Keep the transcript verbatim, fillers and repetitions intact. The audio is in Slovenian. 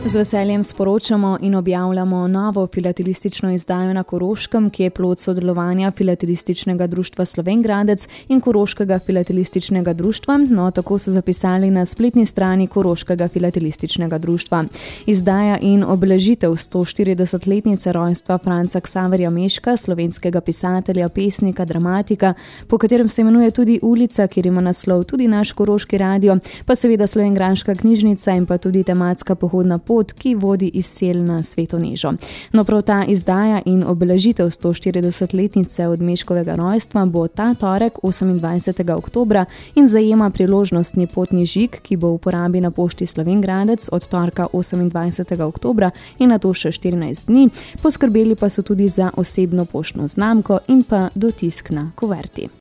Z veseljem sporočamo in objavljamo novo filatelistično izdajo na Koroškem, ki je plod sodelovanja Filatelističnega društva Slovenj Gradec in Koroškega filatelističnega društva, no tako so zapisali na spletni strani Koroškega filatelističnega društva. Izdaja in obeležitev sto štiridesetletnice rojstva Franca Ksaverja Meška, slovenskega pisatelja, pesnika, dramatika, po katerem se imenuje tudi ulica, kjer ima naslov tudi naš Koroški radio, pa seveda slovenjgraška knjižnica in pa tudi tematska pohodna pot, ki vodi iz sel na Sveto Nežo. No, prav ta izdaja in obeležitev sto štiridesetletnice od Meškovega rojstva bo ta torek osemindvajsetega oktobra in zajema priložnostni potni žig, ki bo v uporabi na pošti Slovenj Gradec od torka osemindvajsetega oktobra in nato še štirinajst dni. Poskrbeli pa so tudi za osebno poštno znamko in pa dotisk na kuverti.